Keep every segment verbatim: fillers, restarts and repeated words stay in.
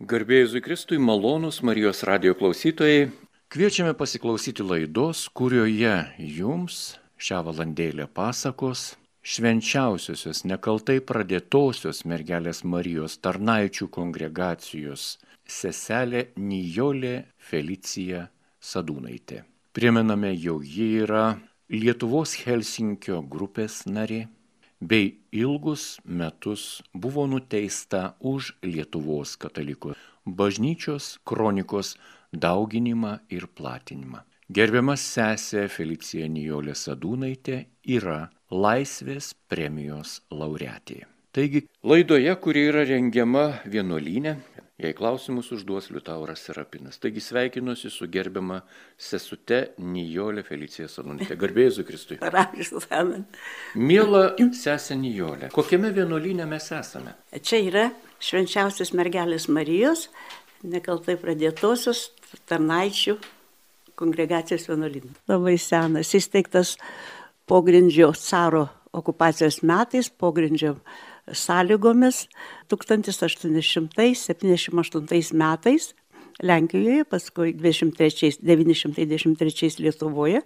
Garbė Jėzui Kristui, malonūs Marijos radijo klausytojai. Kviečiame pasiklausyti laidos, kurioje jums šią valandėlę pasakos švenčiausiosios nekaltai pradėtosios mergelės Marijos tarnaičių kongregacijos seselė Nijolė Felicija Sadūnaitė. Primename, jog ji yra Lietuvos Helsinkio grupės narė, bei ilgus metus buvo nuteista už Lietuvos katalikų bažnyčios kronikos dauginimą ir platinimą. Gerbiama sesė Felicija Nijolė Sadūnaitė yra Laisvės premijos laureatė. Taigi, laidoje, kuri yra rengiama vienuolyne, jei klausimus užduos Liutauras Serapinas. Taigi sveikinuosi su gerbiama sesute Nijolė Felicija Sadūnaitė. Garbė Jėzui Kristui. Miela sesė Nijolė, kokiame vienuolyne mes esame? Čia yra švenčiausios mergelės Marijos, nekaltai pradėtosios tarnaičių kongregacijos vienuolynas. Labai senas, įsteigtas pogrindžio caro okupacijos metais, pogrindžio sąlygomis tūkstantis aštuoni šimtai septyniasdešimt aštuntais metais Lenkijoje, paskui devyni šimtai dvidešimt trečiais Lietuvoje.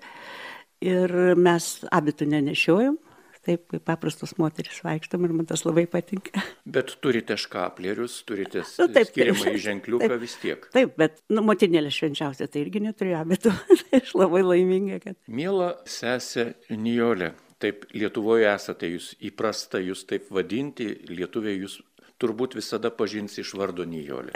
Ir mes abitų nenešiojom, taip kaip paprastos moteris vaikštom ir man tas labai patinka. Bet turite škaplerius, turite Nu, taip, skiriamą į ženkliuką taip. vis tiek. Taip, bet nu, motinėlė švenčiausia, tai irgi neturėjo abitų. Aš labai laiminga, kad... Miela sesė Nijolė, taip Lietuvoje esate jūs įprasta jūs taip vadinti, lietuviai jūs turbūt visada pažins iš vardo Nijolė.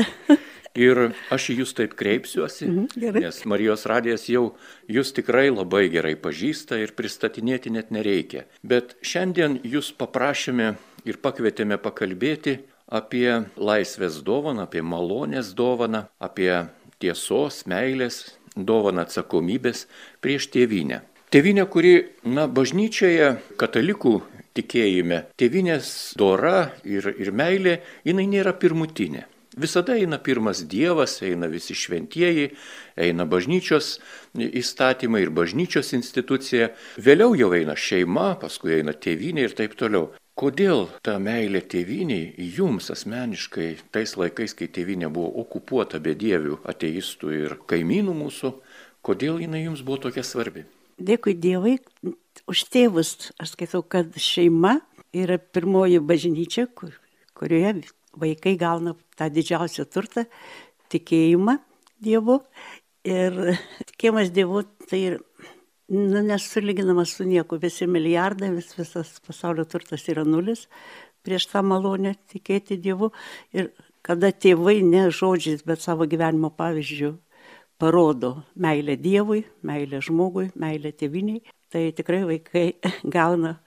Ir aš į jūs taip kreipsiuosi, Mhm, nes Marijos radijas jau jūs tikrai labai gerai pažįsta ir pristatinėti net nereikia. Bet šiandien jūs paprašėme ir pakvietėme pakalbėti apie laisvės dovaną, apie malonės dovaną, apie tiesos, meilės dovaną, atsakomybės prieš tėvynę. Tėvynė, kuri, na, bažnyčioje, katalikų tikėjime, tėvynės dora ir, ir meilė, jinai nėra pirmutinė. Visada eina pirmas Dievas, eina visi šventieji, eina bažnyčios įstatymai ir bažnyčios institucija, vėliau jau eina šeima, paskui eina tėvynė ir taip toliau. Kodėl ta meilė tėvyniai jums asmeniškai, tais laikais, kai tėvynė buvo okupuota bedievių, ateistų ir kaimynų mūsų, kodėl jinai jums buvo tokia svarbi? Dėkui Dievui už tėvus. Aš skaitau, kad šeima yra pirmoji bažnyčia, kur, kurioje vaikai gauna tą didžiausią turtą, tikėjimą Dievu. Ir tikėjimas Dievu tai nu, nesulyginamas su nieku. Visi milijardai, vis, visas pasaulio turtas yra nulis prieš tą malonę tikėti Dievu. Ir kada tėvai ne žodžiais, bet savo gyvenimo pavyzdžių parodo meilę Dievui, meilę žmogui, meilę tėviniai, tai tikrai vaikai gauna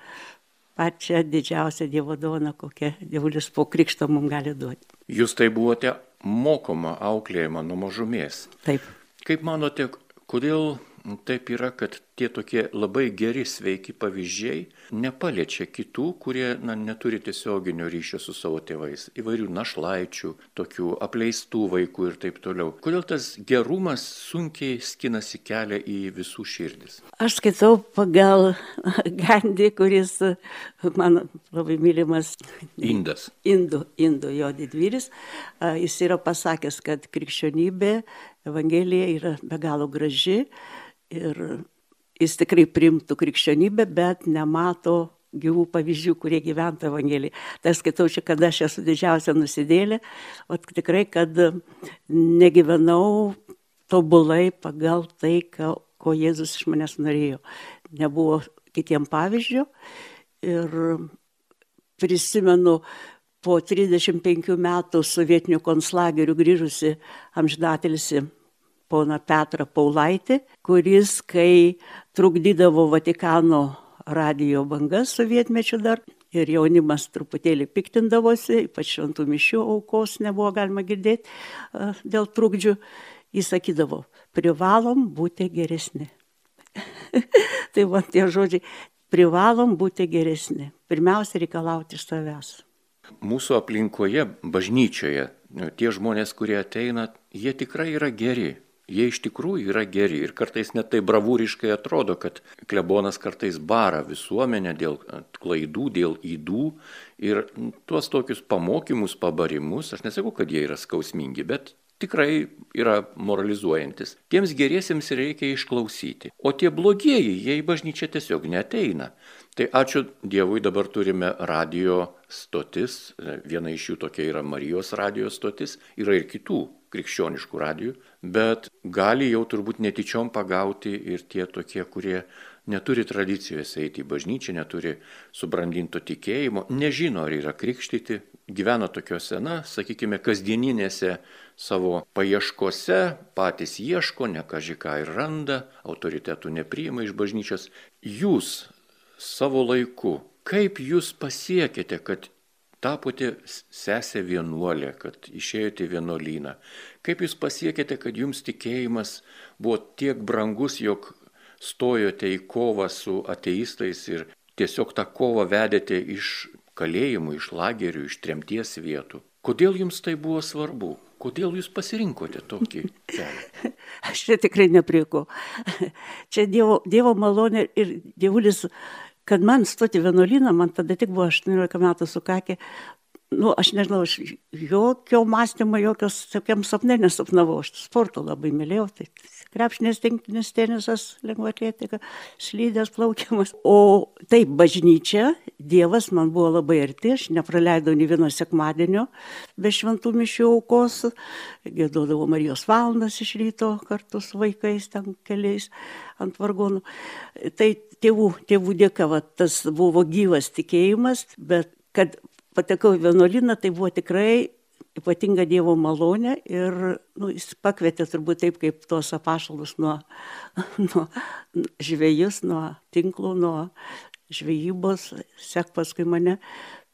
pačią didžiausią Dievo dovaną, kokią Dievulis po krikšto mums gali duoti. Jūs tai buvote mokoma, auklėjama nuo mažumės. Taip. Kaip manote, kodėl taip yra, kad tie tokie labai geri, sveiki pavyzdžiai nepaliečia kitų, kurie na, neturi tiesioginio ryšio su savo tėvais, įvairių našlaičių, tokių apleistų vaikų ir taip toliau. Kodėl tas gerumas sunkiai skinasi kelią į visų širdis? Aš skaitau pagal Gandį, kuris man labai mylimas Indas. Indų, Indų jo didvyris. Jis yra pasakęs, kad krikščionybė, Evangelija yra be galo graži ir jis tikrai priimtų krikščionybę, bet nemato gyvų pavyzdžių, kurie gyventa Evangeliją. Tai skaitau čia, kad aš esu didžiausia nusidėlė, o tikrai, kad negyvenau tobulai pagal tai, ko, ko Jėzus iš manęs norėjo. Nebuvo kitiem pavyzdžių ir prisimenu po trisdešimt penkių metų sovietinių konclagerių grįžusi amžinatilsį poną Petrą Paulaitį, kuris, kai trukdydavo Vatikano radijo bangas sovietmečiu dar, ir jaunimas truputėlį piktindavosi, ypač šventų mišių aukos nebuvo galima girdėti dėl trukdžių, jis sakydavo, privalom būti geresni. Tai va tie žodžiai, privalom būti geresni. Pirmiausia, reikalauti iš savęs. Mūsų aplinkoje, bažnyčioje, tie žmonės, kurie ateina, jie tikrai yra geri. Jie iš tikrųjų yra geri ir kartais net tai bravūriškai atrodo, kad klebonas kartais bara visuomenę dėl klaidų, dėl ydų ir tuos tokius pamokymus, pabarimus, aš nesakau, kad jie yra skausmingi, bet tikrai yra moralizuojantis. Tiems geriesiems reikia išklausyti, o tie blogieji, jie į bažnyčią tiesiog neateina. Tai ačiū Dievui, dabar turime radio stotis, viena iš jų tokia yra Marijos radio stotis, yra ir kitų krikščioniškų radijų, bet gali jau turbūt netyčiom pagauti ir tie tokie, kurie neturi tradicijos eiti į bažnyčią, neturi subrandinto tikėjimo, nežino, ar yra krikštyti, gyvena tokiuose, na, sakykime, kasdieninėse savo paieškose, patys ieško, ne kaži ką ir randa, autoritetų nepriima iš bažnyčios. Jūs savo laiku, kaip jūs pasiekėte, kad tapote sesė vienuolė, kad išėjote į vienuolyną? Kaip jūs pasiekėte, kad jums tikėjimas buvo tiek brangus, jog stojote į kovą su ateistais ir tiesiog tą kovą vedėte iš kalėjimų, iš lagerių, iš tremties vietų? Kodėl jums tai buvo svarbu? Kodėl jūs pasirinkote tokį kelią? Aš čia tikrai neprieko. Čia Dievo, dievo malonė ir Dievulis, kad man stoti vienuolyną, man tada tik buvo aštuoniolika metų sukakę. Nu, aš nežinau, aš jokio mąstymo, jokios tokiam sapne nesapnavau. Aš sporto labai mylėjau, tai krepšinės, tinklinis tenisas, lengvaatletika, slydės, plaukimas. O taip, bažnyčia, Dievas man buvo labai arti, aš nepraleidau nė vieno sekmadienio be šventų mišių aukos, giedodavau Marijos valandas iš ryto kartu su vaikais, ten keliais ant vargonų. Tai tėvų, tėvų dėka, va, tas buvo gyvas tikėjimas, bet kad patekau į vienuolyną, tai buvo tikrai ypatinga Dievo malonė ir nu, jis pakvietė turbūt taip, kaip tuos apaštalus nuo, nuo žvejus, nuo tinklų, nuo žvejybos, sek paskui mane.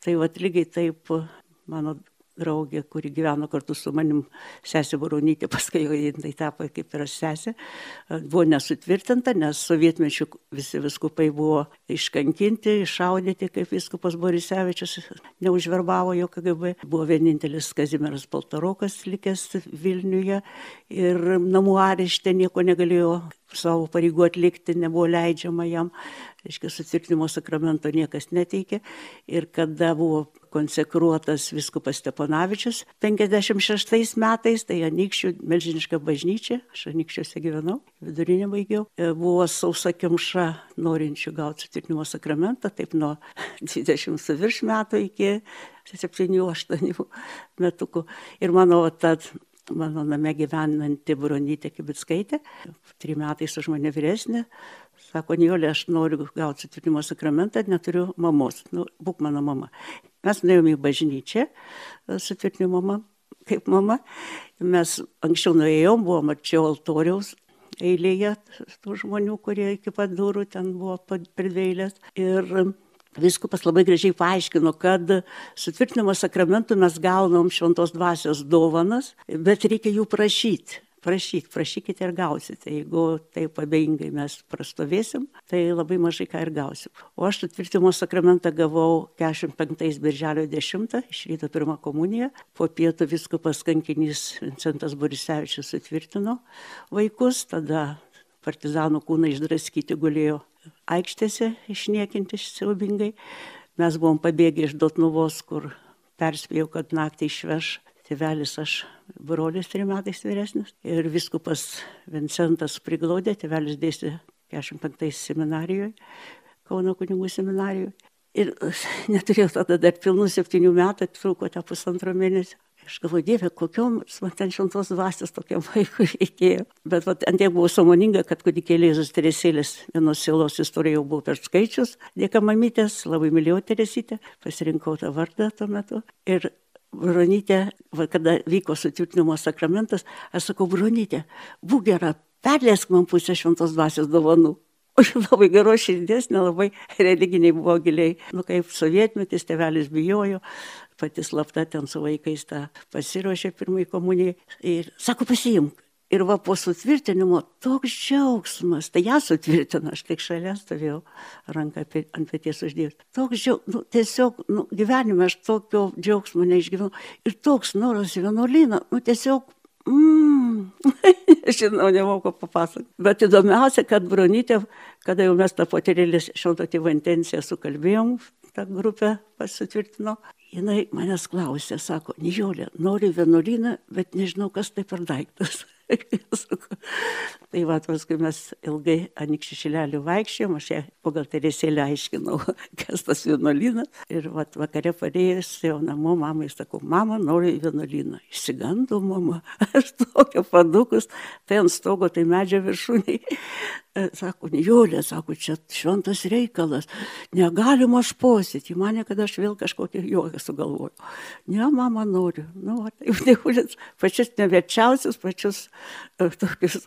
Tai vat lygiai taip mano draugė, kuri gyveno kartu su manim, sesė Baronytė, paskui jau jinai tapo kaip ir aš sesė, buvo nesutvirtinta, nes sovietmečių visi viskupai buvo iškankinti, iššaudyti, kaip viskupas Borisevičius neužverbavo jo K G B. Buvo vienintelis Kazimieras Paltarokas likęs Vilniuje ir namų arešte nieko negalėjo savo pareigų atlikti, nebuvo leidžiama jam, reiškia, sutvirtinimo sakramento niekas neteikė. Ir kada buvo konsekruotas viskupas Steponavičius penkiasdešimt šeštais metais, tai Anykščių milžiniška bažnyčia, aš Anykščiuose gyvenau, vidurinę baigiau, buvo sausa kimša norinčių gauti sutvirtinimo sakramentą, taip nuo dvidešimt su virš metų iki septynių aštuonių metukų. Ir mano tad mano name gyvenanti Bronytė Kibickaitė, trim metais už mane vyresnė, sako, Nijolė, aš noriu gauti sutvirtinimo sakramentą, neturiu mamos, nu, būk mano mama. Mes nuėjome į bažnyčią, sutvirtinimo mama, kaip mama, mes anksčiau nuėjom, buvom arčiau altoriaus eilėje tų žmonių, kurie iki pat durų ten buvo pridveilės. Ir viskupas labai gražiai paaiškino, kad sutvirtinimo sakramentų mes gaunam šventos dvasios dovanas, bet reikia jų prašyti. Prašyti, prašykite ir gausite. Jeigu taip abejingai mes prastovėsim, tai labai mažai ką ir gausim. O aš sutvirtinimo sakramentą gavau keturiasdešimt penktais birželio dešimtą, iš ryto pirmą komuniją. Po pietų viskupas kankinys Vincentas Borisevičius sutvirtino vaikus, tada partizanų kūnai išdraskyti gulėjo aikštėse, išniekinti siaubingai. Mes buvom pabėgę iš Dotnuvos, kur perspėjau, kad naktį išveš tėvelis, aš brolis trim metais vyresnis. Ir viskupas Vincentas priglaudė, tėvelis dėstė keturiasdešimt penktais seminarijoje, Kauno kunigų seminarijoje. Ir neturėjau tada dar pilnų septynių metų, truko tą pusantro mėnesio. Aš galvoju, Dieve, kokiom man ten šventos dvasios tokiam vaikui reikėjo. Bet vat, ant tiek buvau sąmoninga, kad kūdikėlė Jėzus Teresėlės vienos sielos istoriją jau buvau perskaičius. Dėka mamytės, labai mylėjau Teresytę, pasirinkau tą vardą tuo metu. Ir Bronytė, va, kada vyko sutvirtinimo sakramentas, aš sakau, Bronytė, būk gera, perleisk man pusę šventos dvasios dovanų. O jau labai geros širdies, nelabai religiniai buvo giliai. Nu, kaip sovietmetis, tėvelis bijojo, pati slapta ten su vaikais tą pasiruošė pirmai komunijai. Ir sako, pasiimk. Ir va po sutvirtinimo toks džiaugsmas, tai ją sutvirtino, aš tik šalia stovėjau, ranką ant peties uždėjus. Toks džiaugsmas, nu, tiesiog nu, gyvenime aš tokio džiaugsmo neišgyvenau. Ir toks noras į vienuolyną, nu tiesiog, mm, Žinau, nemoku papasakoti. Bet įdomiausia, kad Bronytė, kada jau mes tą poterėlį šilto tėvo intenciją sukalbėjom, tą grupę pasitvirtino, jinai manęs klausė, sako, Nijolė, noriu vienuolyną, bet nežinau, kas tai per daiktas. Tai va, paskui mes ilgai Anykščių Šilelį vaikščiojom, aš ją pagal Teresėlę aiškinau, kas tas vienuolynas. Ir va, vakare parėjus jau namo, mamai sakau, mama, noriu į vienuolyną. Išsigando mama, aš tokia padukus, tai ant stogo, tai medžio viršūniai. Sako, Nijolė, sako, čia šventas reikalas, negalima aš posėti, mane, kad aš vėl kažkokį juoką sugalvoju. Ne, mama, noriu. Nu, va, taip, Nijolės, pačius neverčiausius, pačius uh, tokius,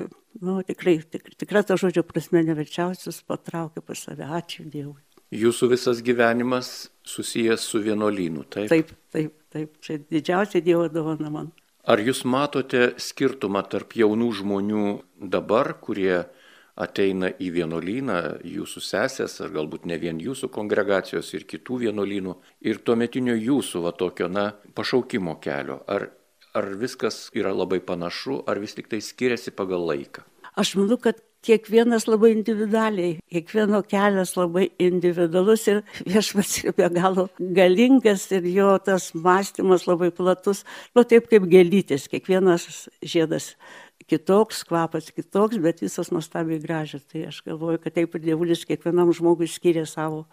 uh, nu, tikrai, tik, tikrai to žodžio prasme neverčiausius patraukė pas save. Ačiū Dievui. Jūsų visas gyvenimas susijęs su vienuolynu, taip? Taip, taip, taip. Čia didžiausia Dievo dovana man. Ar jūs matote skirtumą tarp jaunų žmonių dabar, kurie ateina į vienuolyną, jūsų sesės, ar galbūt ne vien jūsų kongregacijos ir kitų vienuolynų, ir tuometinio jūsų va tokio, na, pašaukimo kelio? Ar, ar viskas yra labai panašu, ar vis tik tai skiriasi pagal laiką? Aš manau, kad kiekvienas labai individualiai, kiekvieno kelias labai individualus ir Viešpats yra be galo galingas ir jo tas mąstymas labai platus, nu taip kaip gėlytės, kiekvienas žiedas kitoks, kvapas kitoks, bet visos nuostabiai gražios. Tai aš galvoju, kad taip ir Dievulis kiekvienam žmogui skiria savo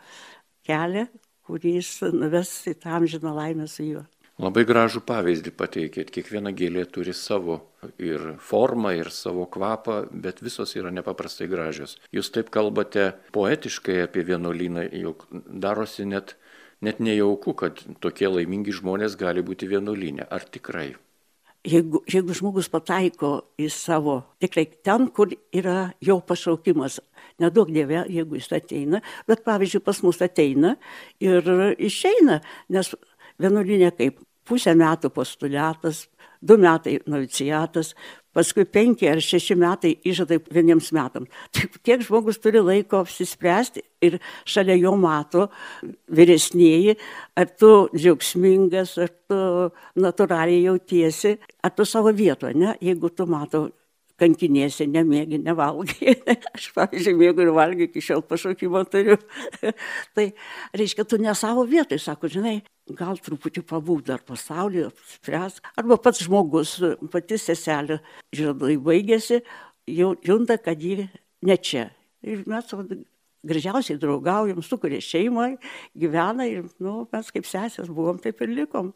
kelią, kuris nuves į tą amžiną laimę su juo. Labai gražų pavyzdį pateikėt. Kiekviena gėlė turi savo ir formą, ir savo kvapą, bet visos yra nepaprastai gražios. Jūs taip kalbate poetiškai apie vienuolyną, jog darosi net, net nejauku, kad tokie laimingi žmonės gali būti vienuolyne. Ar tikrai? Jeigu, jeigu žmogus pataiko į savo, tikrai ten, kur yra jo pašaukimas, nedaug Dieve, jeigu jis ateina, bet pavyzdžiui pas mus ateina ir išeina, nes vienuolinė kaip pusę metų postuliatas, du metai noviciatas, paskui penki ar šeši metai įžadai vieniems metams. Taip, tiek žmogus turi laiko apsispręsti ir šalia jo mato vyresnėji, ar tu džiaugsmingas, ar tu natūraliai jautiesi, ar tu savo vietoje, ne? Jeigu tu mato kankiniesi, nemėgi, nevalgai. Aš, pavyzdžiui, mėgau ir valgiu, iki šiol pašaukimą turiu. Tai reiškia, tu ne savo vietoj, sako, žinai, gal truputį pabūk dar pasaulyje, spręs. Arba pats žmogus, pati seselė, žadai baigėsi, jau junta, kad ji ne čia. Ir mes gražiausiai draugaujam, sukuria šeimą, gyvena ir nu, mes kaip sesės buvom, taip ir likom.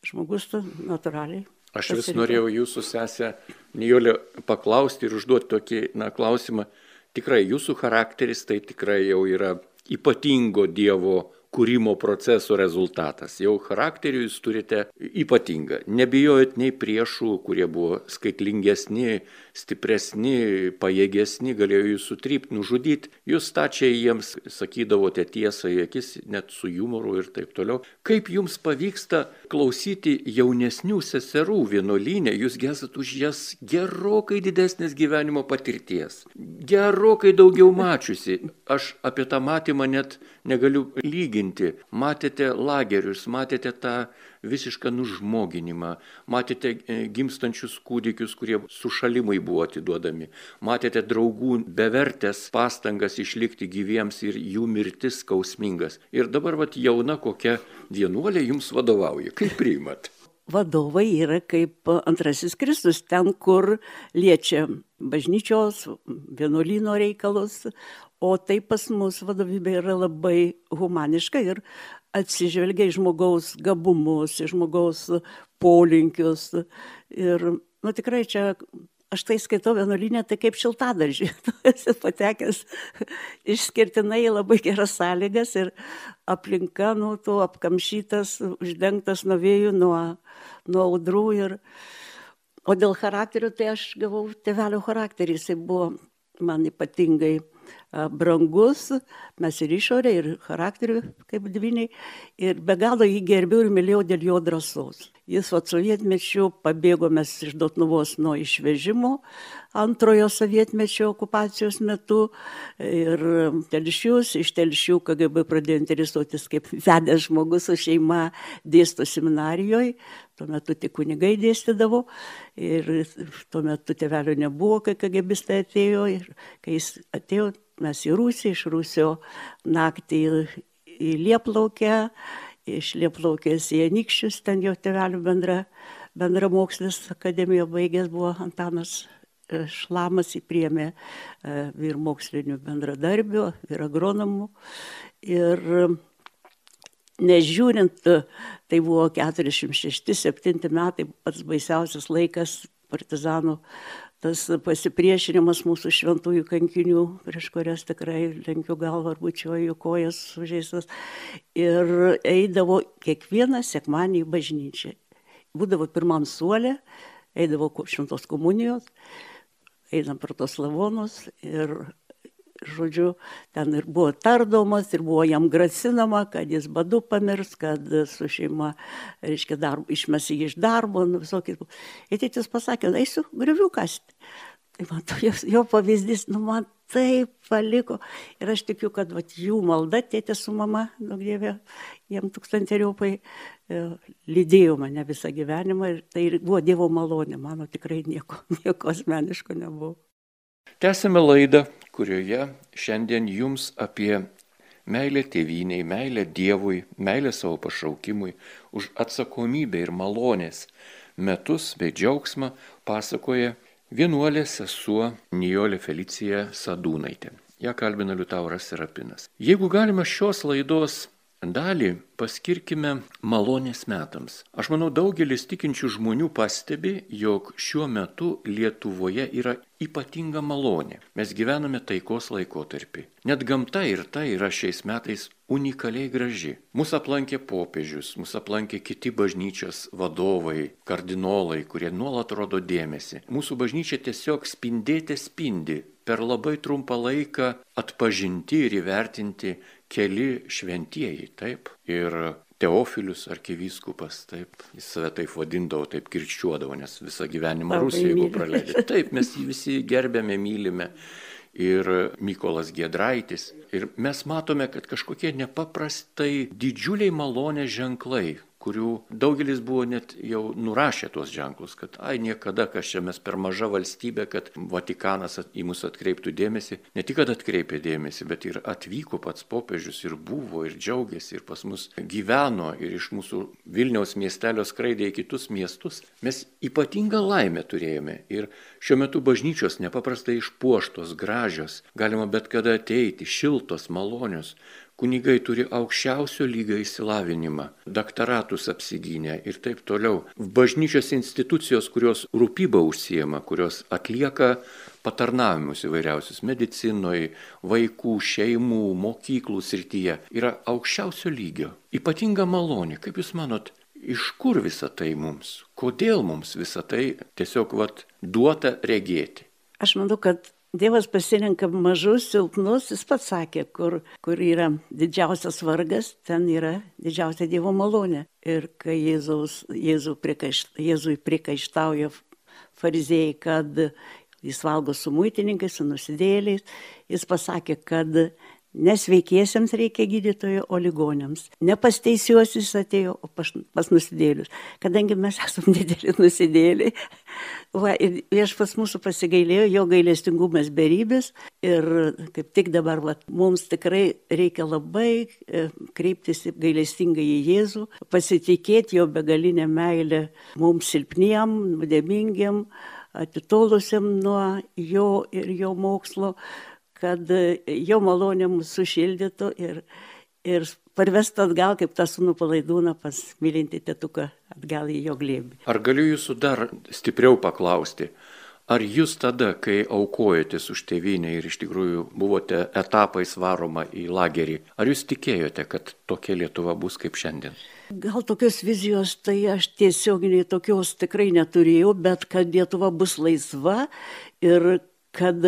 Žmogus natūraliai. Aš vis norėjau jūsų sesę Nijolę paklausti ir užduoti tokį na, klausimą. Tikrai jūsų charakteris tai tikrai jau yra ypatingo Dievo kūrimo proceso rezultatas. Jau charakterį jūs turite ypatingą. Nebijojot nei priešų, kurie buvo skaitlingesni, stipresni, pajėgesni, galėjo jūs sutrypti, nužudyti. Jūs stačiai jiems sakydavote tiesą į akis, net su jumoru ir taip toliau. Kaip jums pavyksta klausyti jaunesnių seserų vienuolyne? Jūs esat už jas gerokai didesnės gyvenimo patirties. Gerokai daugiau mačiusi. Aš apie tą matymą net negaliu lyginti. Matėte lagerius, matėte tą visišką nužmoginimą, matėte gimstančius kūdikius, kurie sušalimai buvo atiduodami, matėte draugų bevertės pastangas išlikti gyviems ir jų mirtis skausmingas. Ir dabar vat jauna kokia vienuolė jums vadovauja. Kaip priimat? Vadovai yra kaip antrasis Kristus, ten, kur liečia bažnyčios, vienuolyno reikalus, o tai pas mus vadovybė yra labai humaniška ir atsižvelgia į žmogaus gabumus, į žmogaus polinkius. Ir, nu tikrai čia, aš tai skaitau vienuolyne, tai kaip šiltadaržį. Esi patekęs išskirtinai labai geras sąlygas ir aplinka, nu, tu apkamšytas, uždengtas nuo vėjų, nuo, nuo audrų. Ir... O dėl charakterio, tai aš gavau tėvelio charakterį, jisai buvo man ypatingai brangus, mes ir išorė, ir charakteriu kaip dvyniai, ir be galo jį gerbiau ir mylėjau dėl jo drąsos. Jis vat sovietmečiu pabėgo mes iš Dotnuvos nuo išvežimo antrojo sovietmečio okupacijos metu ir Telšius, iš Telšių K G B pradėjo interesuotis kaip vedęs žmogus su šeima dėsto seminarijoje. Tuo metu tik kunigai dėstydavo ir tuo metu tėvelio nebuvo, kai KGBistai atėjo ir kai jis atėjo, mes į Rusiją, iš Rusijos naktį į Lieplaukę, iš Lieplaukės į Anykščius, ten jo tėvelių bendra, bendra mokslis akademijoje baigęs buvo Antanas Šlamas, jį priėmė vyr mokslinių bendradarbių, vyr agronomų. Ir nežiūrint, tai buvo keturiasdešimt šešti septinti metai, pats baisiausias laikas partizanų, tas pasipriešinimas mūsų šventųjų kankinių, prieš kurias tikrai lenkiu galvą ar bučiuoju kojas sužeistas. Ir eidavo kiekvieną sekmadienį į bažnyčią. Būdavo pirmam suole, eidavo šventos komunijos, einam per tos lavonus ir, žodžiu, ten ir buvo tardomas, ir buvo jam grasinama, kad jis badu pamirs, kad su šeima, reiškia, darbo, išmes jį iš darbo, nu, visokiais. Ir tėtis pasakė, eisiu griovių kasti. Tai man to, jo pavyzdys, nu, man taip paliko. Ir aš tikiu, kad vat, jų malda, tėtė su mama, nu, dievė, jiem tūkstanteriopai lydėjo mane visą gyvenimą. Ir tai buvo Dievo malonė, mano tikrai nieko, nieko asmeniško nebuvo. Tęsime laidą, kurioje šiandien jums apie meilę tėvynei, meilę Dievui, meilę savo pašaukimui, už atsakomybę ir malonės metus bei džiaugsmą pasakoja vienuolė sesuo Nijolė Felicija Sadūnaitė. Ja kalbina Liutauras Serapinas. Jeigu galima šios laidos dalį paskirkime malonės metams. Aš manau, daugelis tikinčių žmonių pastebi, jog šiuo metu Lietuvoje yra ypatinga malonė. Mes gyvename taikos laikotarpį. Net gamta ir tai yra šiais metais unikaliai graži. Mūsų aplankė popiežius, mūsų aplankė kiti bažnyčios vadovai, kardinolai, kurie nuolat rodo dėmesį. Mūsų bažnyčia tiesiog spindėte spindi. Per labai trumpą laiką atpažinti ir įvertinti keli šventieji, taip. Ir Teofilius arkivyskupas, taip, jis save taip vadindavo, taip kirčiuodavo, nes visą gyvenimą Rusijoje buvo praleidęs. Taip, mes jį visi gerbėme, mylime. Ir Mykolas Giedraitis. Ir mes matome, kad kažkokie nepaprastai didžiuliai malonės ženklai, kurių daugelis buvo net jau nurašę tuos ženklus, kad ai niekada, kas čia mes per maža valstybė, kad Vatikanas į mus atkreiptų dėmesį. Ne tik, kad atkreipė dėmesį, bet ir atvyko pats popiežius ir buvo, ir džiaugiasi, ir pas mus gyveno, ir iš mūsų Vilniaus miestelio skraidė į kitus miestus. Mes ypatingą laimę turėjome ir šiuo metu bažnyčios nepaprastai išpuoštos, gražios, galima bet kada ateiti, šiltos, malonios. Kunigai turi aukščiausio lygio išsilavinimą, daktaratus apsigynę ir taip toliau. Bažnyčios institucijos, kurios rūpybą užsiema, kurios atlieka patarnavimus įvairiausius medicinoje, vaikų, šeimų, mokyklų srityje, yra aukščiausio lygio. Ypatinga malonė, kaip jūs manot, iš kur visa tai mums? Kodėl mums visa tai tiesiog vat, duota regėti? Aš manau, kad Dievas pasirenka mažus, silpnus, jis pats sakė, kur, kur yra didžiausias vargas, ten yra didžiausia Dievo malonė. Ir kai Jėzaus, Jėzų prikaišt, Jėzui prikaištauja fariziejai, kad jis valgo su muitininkais, su nusidėjėliais, jis pasakė, kad nesveikiesiems reikia gydytojo, o ligoniams. Ne pas teisiuosius atėjo, o pas, pas nusidėlius. Kadangi mes esame dideli nusidėliai, va, ir viešpats mūsų pasigailėjo, jo gailestingumas beribės. Ir kaip tik dabar va, mums tikrai reikia labai kreiptis gailestingai į Jėzų, pasitikėti jo begalinę meilę mums silpniem, nuodėmingiem, atitolusiam nuo jo ir jo mokslo, kad jo malonė mūsų sušildytų ir, ir parvestų atgal, kaip tą sūnų palaidūną pas mylintį tėtuką atgal į jo glėbį. Ar galiu jūsų dar stipriau paklausti, ar jūs tada, kai aukojotės už tėvynę ir iš tikrųjų buvote etapais varoma į lagerį, ar jūs tikėjote, kad tokia Lietuva bus kaip šiandien? Gal tokios vizijos, tai aš tiesioginiai tokios tikrai neturėjau, bet kad Lietuva bus laisva ir kad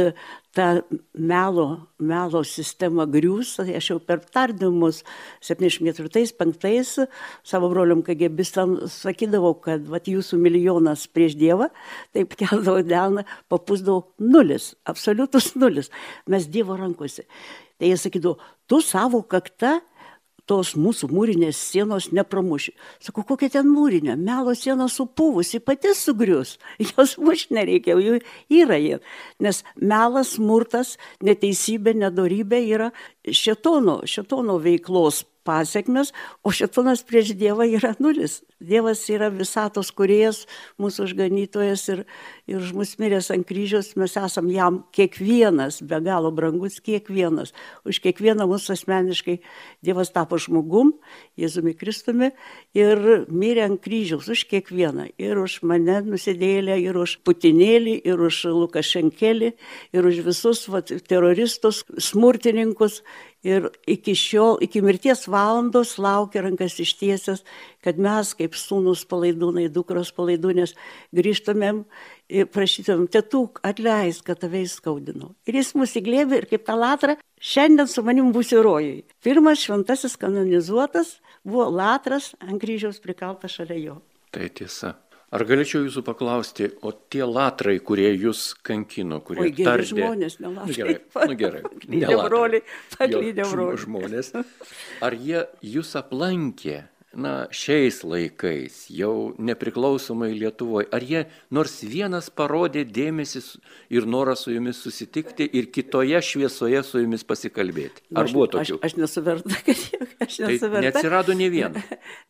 ta melo, melo sistema griūs. Aš jau per tardymus septyniasdešimt ketvirtais penktais savo broliam kagėbistam sakydavau, kad vat, jūsų milijonas prieš Dievą, taip keldavo delną, papūsdavau nulis, absoliutus nulis. Mes Dievo rankose. Tai jie sakydavo, tu savo kakta tos mūsų mūrinės sienos nepramuši. Sakau, kokia ten mūrinė? Melo siena supūvusi, pati sugrius. Jos mušti nereikia, jų yra jie. Nes melas, smurtas, neteisybė, nedorybė yra šėtono, šėtono veiklos pasiekmes, o šėtonas prieš Dievą yra nulis. Dievas yra visatos kūrėjas, mūsų išganytojas ir, ir už mus miręs ant kryžiaus, mes esam jam kiekvienas, be galo brangus kiekvienas. Už kiekvieną mūsų asmeniškai Dievas tapo žmogum, Jėzumi Kristumi ir mirė ant kryžiaus už kiekvieną. Ir už mane nusidėlę, ir už Putinėlį, ir už Lukašenkelį, ir už visus vat, teroristus, smurtininkus. Ir iki šiol, iki mirties valandos laukia rankas ištiesęs, kad mes kaip sūnus palaidūnai, dukros palaidūnės grįžtumėm ir prašytumėm, tėtuk, atleisk, kad tave įskaudinau. Ir jis mus įglėbė ir kaip tą latrą, šiandien su manim būsi rojui. Pirmas šventasis kanonizuotas buvo latras ant kryžiaus prikaltas šalia jo. Tai tiesa. Ar galėčiau jūsų paklausti, o tie latrai, kurie jūs kankino, kurie Oi, geri tardė... žmonės, ne latrai. Nu gerai, nu gerai. Paklydė broliai, paklydė broliai. Žmonės. Ar jie jūs aplankė, na, šiais laikais, jau nepriklausomai Lietuvoje, ar jie nors vienas parodė dėmesį ir norą su jumis susitikti ir kitoje šviesoje su jumis pasikalbėti? Ar aš, buvo tokių? Aš, aš nesuverta, kad aš nesuverta. Tai neatsirado ne vieno.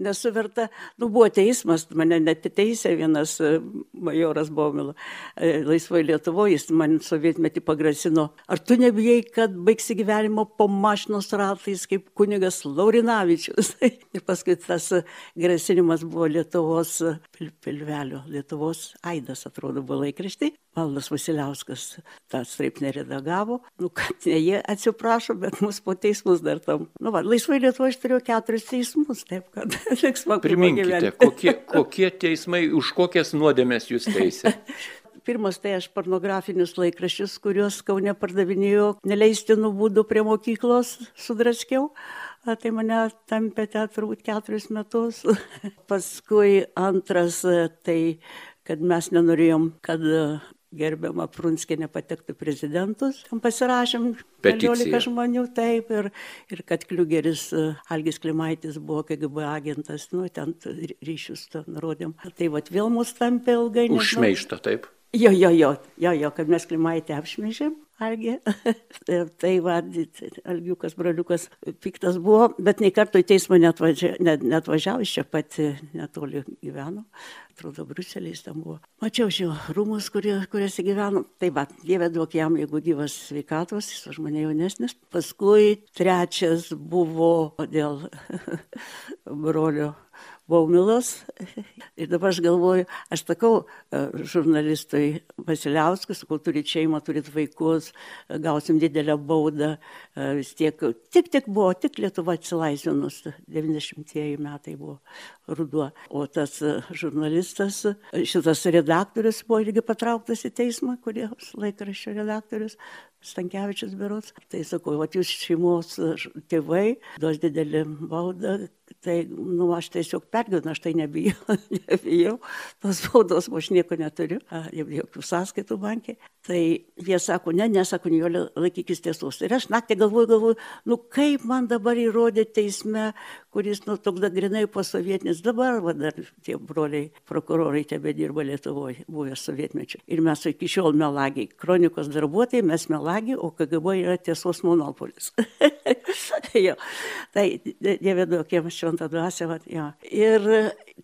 Nesuverta. Nu, buvo teismas, mane netiteisė vienas majoras Baumila. Laisvoje Lietuvoje jis man sovietmetį pagrasino. Ar tu nebijai, kad baigsi gyvenimo po mašinos ratais kaip kunigas Laurinavičius? Ir paskui tas grasinimas buvo Lietuvos pil, pilvelio, Lietuvos aidas, atrodo, buvo laikraštai. Valdas Vasiliauskas tą straipsnį redagavo. Nu, kad ne jie atsiprašo, bet mus po teismus dar tam. Nu, va, Laisvoje Lietuvoje aš turėjau keturis teismus, taip kad liks man priminkite, kokie, kokie teismai, už kokias nuodėmes jūs teisė? Pirmas tai aš pornografinius laikraščius, kuriuos Kaune pardavinėjo neleistinų būdų prie mokyklos sudraskiau. Tai mane tampė turbūt keturis metus. Paskui antras, tai kad mes nenorėjom, kad gerbiama Prunskienė patektų prezidentus. Pasirašėm keliolika žmonių, taip, ir, ir kad Kliugeris, Algis Klimaitis buvo K G B agentas, nu, ten ryšius nurodėm. Tai vat vėl mus tampė ilgai. Už šmeižtą, taip? Jo, jo, jo, jo, jo, kad mes Klimaitį apšmeižėm. Algi. Tai va, Algiukas, broliukas piktas buvo, bet nei karto į teismą neatvažiavo, net, neatvažiavo, iš čia pati netoli gyveno, atrodo, Briuseliais tam buvo. Mačiau šio rūmus, kurie, kuriuose gyveno. Tai va, Dieve duok jam, jeigu gyvas sveikatos, jis už mane jaunesnis. Paskui trečias buvo dėl brolio Baumilos. Ir dabar aš galvoju, aš sakau žurnalistui Vasiliauskui, sakau, turit šeimą, turit vaikus, gausim didelę baudą. Vis tiek, tik, tik buvo, tik Lietuva atsilaisvinus, devyniasdešimtieji metai buvo ruduo. O tas žurnalistas, šitas redaktorius buvo irgi patrauktas į teismą, kurios laikraščio redaktorius, Stankevičius berods. Tai sakau, vat jūs šeimos tėvai, duos didelį baudą, tai, nu, aš tiesiog pergyvenu, aš tai nebijau, nebijau, tos baudos, aš nieko neturiu, jokių sąskaitų bankė. Tai jie sako, ne, nesako, Nijolė, laikykis tiesos. Ir aš naktį galvoju, galvoju, nu kaip man dabar įrodė teisme, kuris, nu, toks grinai posovietinis, dabar, va, dar tie broliai, prokurorai tebe dirba Lietuvoje, buvę sovietmečiu. Ir mes iki šiol melagiai, kronikos darbuotojai, mes melagiai, o K G B yra tiesos monopolis. Jo, tai Dieve duok jam šventą dvasią, va, jo. Ir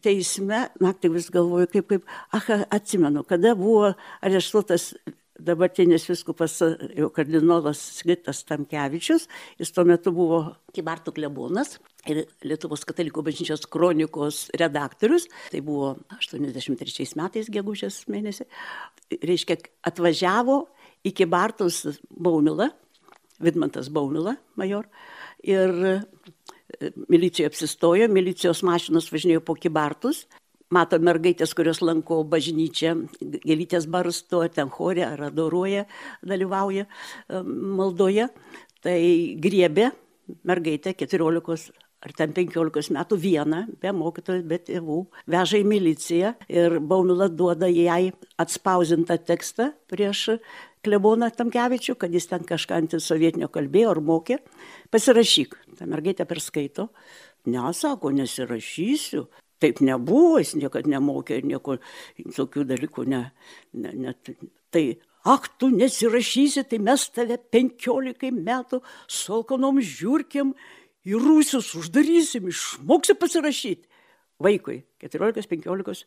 teisme, naktį vis galvoju, kaip, kaip, ach, atsimenu, kada buvo areštuotas dabartinis viskupas, jau kardinolas Sigitas Tamkevičius, jis tuo metu buvo Kybartų klebonas ir Lietuvos katalikų bažnyčios kronikos redaktorius, tai buvo aštuoniasdešimt trečiais metais gegužės mėnesį, reiškia, atvažiavo į Kybartus Baumila, Vidmantas Baumila, major, ir milicija apsistojo, milicijos mašinos važinėjo po Kybartus, mato mergaitės, kurios lanko bažnyčią, gėlytės barsto, ten chore ar adoruoja, dalyvauja maldoje, tai griebė mergaitę keturiolikos ar ten penkiolikos metų vieną, be mokytojų, be tėvų, veža į miliciją ir Baumila duoda jai atspausintą tekstą prieš kleboną Tamkevičių, kad jis ten kažką antisovietinio kalbėjo ar mokė, pasirašyk. Ta mergaitė perskaito, ne, sako, nesirašysiu. Taip nebuvo, jis niekad nemokė ir nieko tokių dalykų, ne, ne, ne. Tai, ak, tu nesirašysi, tai mes tave penkiolikai metų su alkanom žiūrkėm į rūsius uždarysim, išmoksi pasirašyti. Vaikui, keturiolikos penkiolikos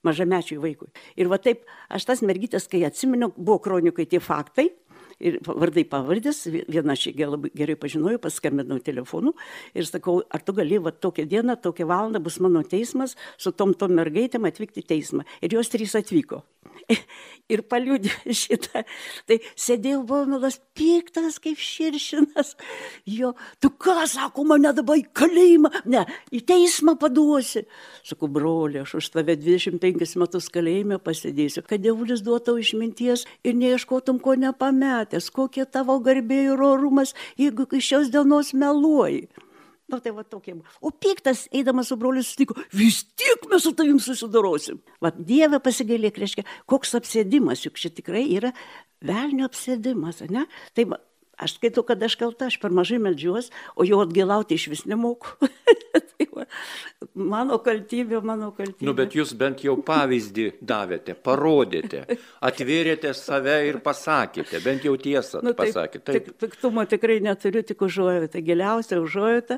mažamečiui vaikui. Ir va taip, aš tas mergytės, kai atsimenu, buvo kronikai tie faktai, ir vardai pavardės, vieną aš labai gerai pažinojau, paskambinau telefonu ir sakau, ar tu gali, va tokią dieną, tokią valandą bus mano teismas, su tom tom mergaitėm atvykti į teismą. Ir jos trys atvyko. Ir paliudė šitą. Tai sėdėjo Baumilas piktas kaip širšinas. Jo, tu ką, sako, mane dabar į kalėjimą, ne, į teismą paduosi. Sakau, broli, aš už tave dvidešimt penkis metus kalėjime pasėdėsiu, kad dievulis duotų išminties ir neieškotum ko nepametęs, kokie tavo garbė ir orumas, jeigu iš šios dienos meluoji. Nu, tai va tokie. O piktas, eidamas su broliu, sutiko, vis tiek mes su tavim susidorosim. Va, Dieve pasigailėk, reiškia, koks apsėdimas, juk čia tikrai yra velnio apsėdimas, ne? Tai va, aš skaitau, kad aš kalta, aš per mažai meldžiuos, o jau atgailauti iš vis nemoku. Tai va, mano kaltybė, mano kaltybė. Nu, bet jūs bent jau pavyzdį davėte, parodėte, atvėrėte save ir pasakėte, bent jau tiesą nu, taip, pasakėte. Taip. Tik, piktumo tikrai neturiu, tik užuojautą, giliausia užuojautą,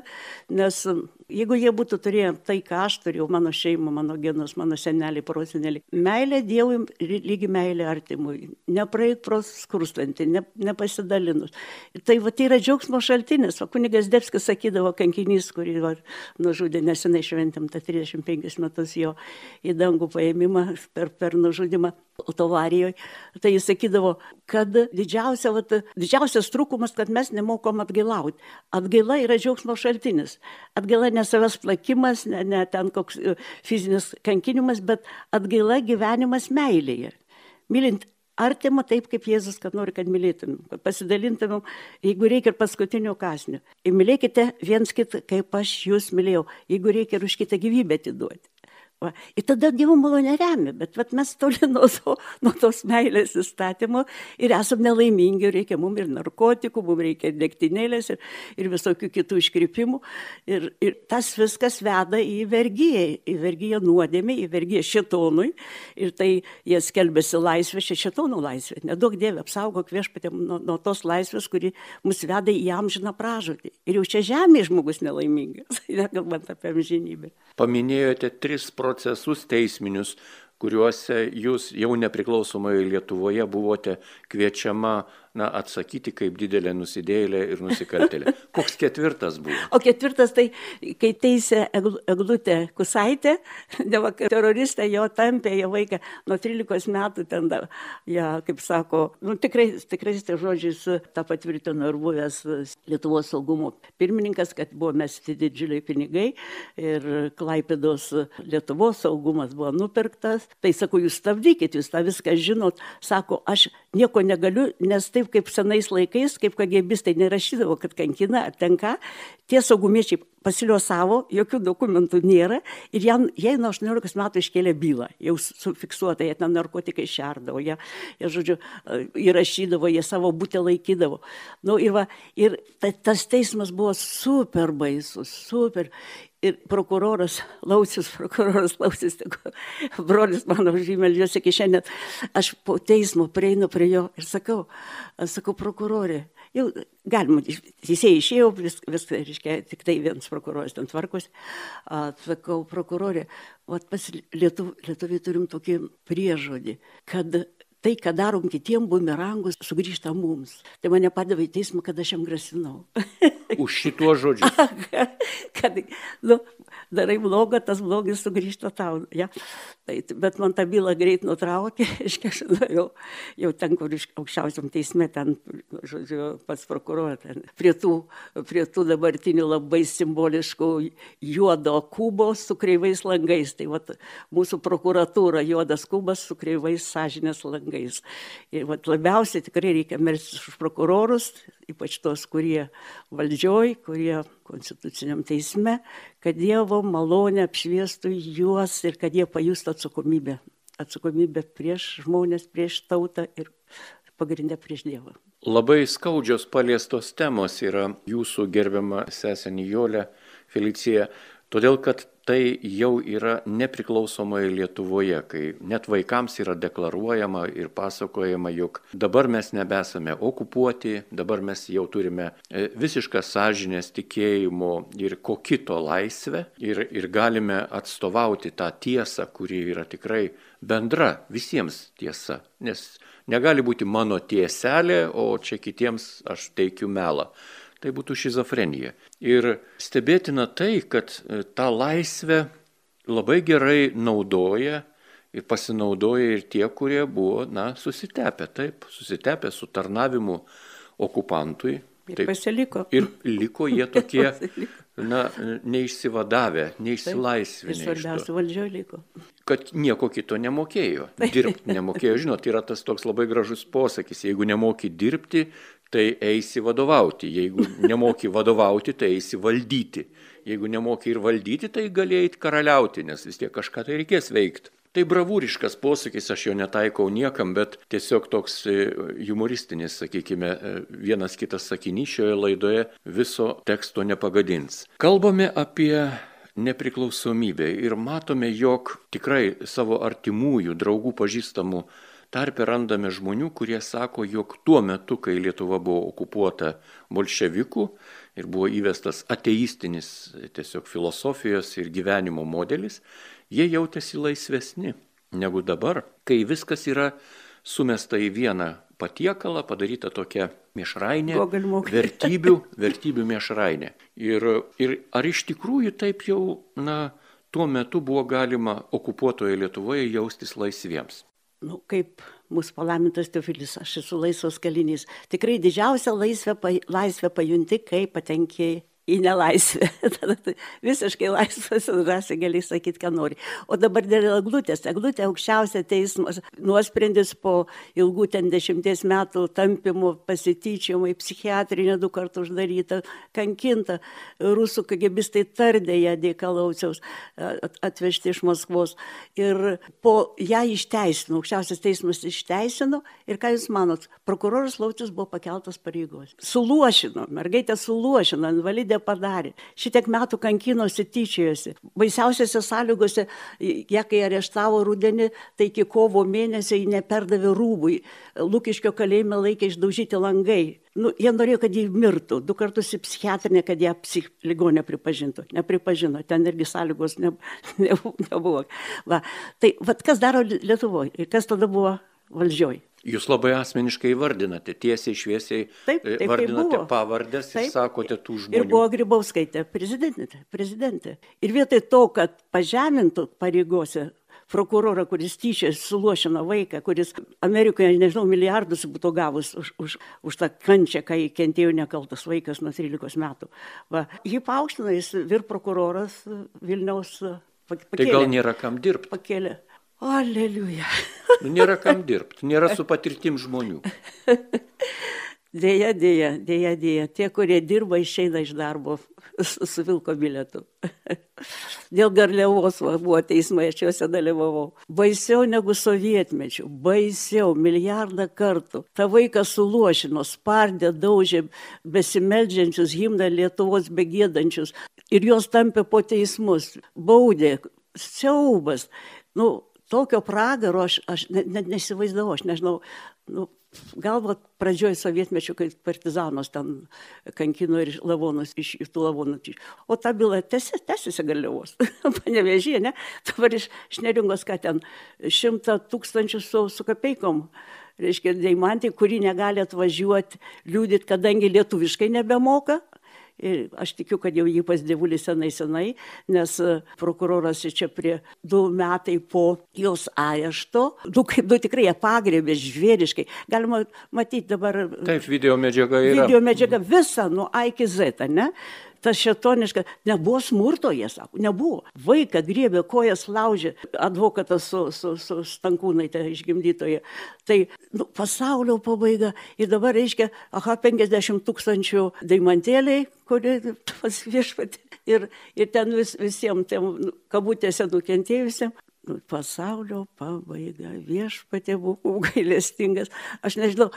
nes jeigu jie būtų turėję tai, ką aš turėjau, mano šeima, mano genus, mano seneliai, proseneliai, meilė Dievui lygi meilė artimui, nepraeik pro skurstantį, ne, nepasidalinus. Tai va, tai yra džiaugsmo šaltinis. O kunigas Debskis sakydavo, kankinys, kurį va, nužudė, nesenai šventėm tą trisdešimt penkis metus jo į dangų paėmimą per, per nužudimą autovarijoje. Tai jis sakydavo, kad didžiausia, va, didžiausias trūkumas, kad mes nemokom atgailauti. Atgaila yra džiaugsmo šaltinis. Atgaila ne savęs plakimas, ne, ne ten koks fizinis kankinimas, bet atgaila gyvenimas meilėje. Mylint artimą taip, kaip Jėzus, kad nori, kad mylėtumėm, kad pasidalintumėm, jeigu reikia ir paskutinio kąsnio. Ir mylėkite viens kitą, kaip aš jūs mylėjau, jeigu reikia ir už kitą gyvybę atiduoti. Va. Ir tada Dievo malonė remia, bet vat, mes toli nuo, to, nuo tos meilės įstatymo ir esam nelaimingi, reikia mums ir narkotikų, mums reikia ir degtinėlės ir, ir visokių kitų iškrypimų. Ir, ir tas viskas veda į vergiją, į vergiją nuodėmę, į vergiją šėtonui. Ir tai jie skelbėsi laisvę, čia šėtonų laisvė. Neduok Dieve, apsaugok Viešpatie nuo, nuo tos laisvės, kuri mus veda į amžiną pražūtį. Ir jau čia žemėje žmogus nelaimingas, nekalbant apie amžinybę. Paminėjote tris procesus teisminius, kuriuose jūs jau nepriklausomoje Lietuvoje buvote kviečiama na, atsakyti kaip didelė nusidėjėlė ir nusikaltėlė. Koks ketvirtas buvo? O ketvirtas tai, kai teisė Eglutė Kusaitė, dėl teroristą jo tampė, jo vaiką nuo trylikos metų ten, ja, kaip sako, nu, tikrai, tikrai tai žodžiais tą patvirtino ir buvęs Lietuvos saugumo pirmininkas, kad buvo mesti didžiuliai pinigai ir Klaipėdos Lietuvos saugumas buvo nupirktas. Tai sako, jūs stabdykit, jūs tą viską žinot. Sako, aš nieko negaliu, nes taip kaip senais laikais, kaip kagėbistai nerašydavo, kad kankina ar tenka, tie saugumiečiai pasiliosavo, jokių dokumentų nėra ir jie, jie nuo aštuoniolikos metų iškėlė bylą, jau sufiksuota, jie ten narkotikai šerdavo, jie, jie žodžiu, įrašydavo, jie savo būtę laikydavo. Nu, ir va, ir ta, tas teismas buvo super baisus, super. Ir prokuroras Laucius, prokuroras Laucius, brolis mano žymeldžiuosi iki šiandien, aš po teismo prieinu prie jo ir sakau, sakau, prokurorė, jau galima, teisėjai išėjo, vis, vis, reiškia, tik tai vienas prokuroras ten tvarkosi, sakau, prokurorė, o pas Lietuv, Lietuviai turim tokį priežodį, kad tai, ką darom kitiem bumerangus, sugrįžta mums. Tai mane padavė į teismą, kad aš jam grasinau. Už šituo žodžiu. kad, nu, darai blogą, tas blogis sugrįžta tau. Ja? Tai, bet man tą bylą greit nutraukė, aš jau, jau ten, kur iš aukščiausiam teisme, ten, žodžiu, pats prokuroras, prie tų, prie tų dabartinių labai simboliškų juodo kubo su kreivais langais. Tai vat, mūsų prokuratūra juodas kubas su kreivais sąžinės langais. Ir vat, labiausiai tikrai reikia melstis už prokurorus, ypač tos, kurie valdžioj, kurie konstituciniam teisme, kad Dievo malonė apšviestų juos ir kad jie pajustų atsakomybę. Atsakomybę prieš žmonės, prieš tautą ir pagrindę prieš Dievą. Labai skaudžios paliestos temos yra jūsų gerbiama sesė Nijolė, Felicija, todėl kad tai jau yra nepriklausomoje Lietuvoje, kai net vaikams yra deklaruojama ir pasakojama, jog dabar mes nebesame okupuoti, dabar mes jau turime visišką sąžinės tikėjimo ir ko kito laisvę ir, ir galime atstovauti tą tiesą, kuri yra tikrai bendra visiems tiesa, nes negali būti mano tieselė, o čia kitiems aš teikiu melą. Tai būtų šizofrenija. Ir stebėtina tai, kad tą laisvę labai gerai naudoja ir pasinaudoja ir tie, kurie buvo, na, susitepę, taip, susitepę su tarnavimu okupantui. Ir taip, pasiliko. Ir liko jie tokie, na, neišsivadavę, neišsilaisvinę. Ir svarbiausia, valdžioje liko. Kad nieko kito nemokėjo, dirbti nemokėjo. Žinot, yra tas toks labai gražus posakis, jeigu nemoki dirbti, tai eisi vadovauti. Jeigu nemoki vadovauti, tai eisi valdyti. Jeigu nemoki ir valdyti, tai galėjai karaliauti, nes vis tiek kažką tai reikės veikti. Tai bravūriškas posakis, aš jo netaikau niekam, bet tiesiog toks humoristinis, sakykime, vienas kitas sakinys šioje laidoje viso teksto nepagadins. Kalbame apie nepriklausomybę ir matome, jog tikrai savo artimųjų, draugų, pažįstamų tarpe randame žmonių, kurie sako, jog tuo metu, kai Lietuva buvo okupuota bolševikų ir buvo įvestas ateistinis tiesiog filosofijos ir gyvenimo modelis, jie jautėsi laisvesni negu dabar, kai viskas yra sumesta į vieną patiekalą, padaryta tokia miešrainė, vertybių, vertybių miešrainė. Ir, ir ar iš tikrųjų taip jau, na, tuo metu buvo galima okupuotoje Lietuvoje jaustis laisviems? Nu, kaip mūsų palaimintas Teofilis, aš esu laisvas kalinys. Tikrai didžiausią laisvę, laisvę pajunti, kai patenki į nelaisvę. Visiškai laisvas ir drąsiai gali sakyti, ką nori. O dabar dėl Eglutės. Eglutė aukščiausia teismas nuosprendis po ilgų ten dešimties metų tampimų, pasityčiojimų, psichiatrinė du kartų uždaryta, kankinta. Rusų kagebistai tardė ją Dėkalauciaus atvežti iš Maskvos. Ir po ją išteisino, aukščiausias teismas išteisino. Ir ką jūs manot, prokuroras Laucius buvo pakeltas pareigos. Suluošino, mergaitė suluošino, invalidė padarė. Šitiek metų kankinosi, tyčiojosi. Baisiausiose sąlygose, ją kai areštavo rudenį, tai iki kovo mėnesio jį neperdavė rūbui. Lukiškio kalėjime laikė išdaužyti langai. Nu, jie norėjo, kad jį mirtų. Du kartus į psichiatrinę, kad ją psich ligonę pripažintų. Nepripažino. Ten irgi sąlygos ne, ne, nebuvo. Va. Tai vat, kas daro Lietuvoje ir kas tada buvo valdžioj? Jūs labai asmeniškai vardinate, tiesiai šviesiai taip, taip, vardinate pavardės ir sakote tų žmonių. Ir buvo Grybauskaitė, prezidentė, prezidentė. Ir vietoj to, kad pažemintų pareigose prokurorą, kuris tyčia suluošino vaiką, kuris Amerikoje, nežinau, milijardus būtų gavus už, už, už tą kančią, kai kentėjo nekaltas vaikas nuo trylikos metų. Va, jį paaukštino, jis vyr prokuroras Vilniaus pakėlė. Tai gal nėra kam dirbti? Pakėlė. Aleliuja. Nu, nėra kam dirbti, nėra su patirtim žmonių. Dėja, dėja, dėja, dėja. Tie, kurie dirba, išeina iš darbo su, su vilko bilietu. Dėl Garliavos buvo teismai, aš juose dalyvavau. Baisiau negu sovietmečių, baisiau, milijardą kartų. Ta vaiką suluošino, spardė, daužė besimeldžiančius, himną Lietuvos begėdančius. Ir jos tampė po teismus, baudė, siaubas. Nu, tokio pragaro aš, aš net ne, nesivaizdavau, aš nežinau, nu, galbūt pradžioj sovietmečių, kai partizanos ten kankino ir lavonus iš tų lavonų. O ta byla tęsiasi Garliavos, Panevėžyje, ne? Dabar iš, iš Neringos, ką ten, šimtą tūkstančių su, su kapeikom, reiškia, deimantį, kuri negali atvažiuoti, liūdyti, kadangi lietuviškai nebemoka. Ir aš tikiu, kad jau jį pas dievulį senai senai, nes prokuroras čia prie du metai po jos arešto, du, kaip du tikrai ją pagrėbė žvėriškai. Galima matyti dabar... Taip, video medžiaga yra. Video medžiaga visa nuo A iki Z, ne? Tas šėtoniška, nebuvo smurto, jie sako, nebuvo. Vaiką griebė, kojas laužė, advokatas su, su, su Stankūnaitė išgimdytoje. Tai nu, pasaulio pabaiga ir dabar reiškia, aha, penkiasdešimt tūkstančių deimantėliai, kurie pas viešpatį ir, ir ten vis, visiems, tiem, kabutėse nukentėjusiems. Nu, pasaulio pabaiga, viešpatė buvo gailestingas. Aš nežinau,